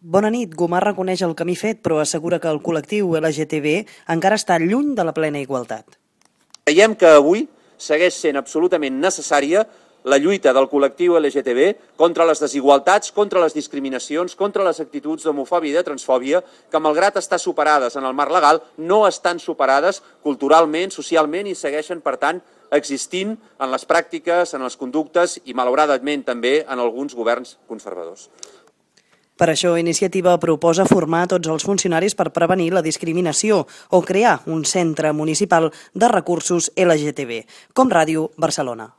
Bona nit. Gomar reconeix el camí fet, però assegura que el col·lectiu LGTB encara està lluny de la plena igualtat. Creiem que avui segueix sent absolutament necessària la lluita del col·lectiu LGTB contra les desigualtats, contra les discriminacions, contra les actituds d'homofòbia i de transfòbia, que malgrat estar superades en el marc legal, no estan superades culturalment, socialment i segueixen, per tant, existint en les pràctiques, en les conductes i, malauradament, també en alguns governs conservadors. Per això, Iniciativa proposa formar tots els funcionaris per prevenir la discriminació o crear un centre municipal de recursos LGTB, com Ràdio Barcelona.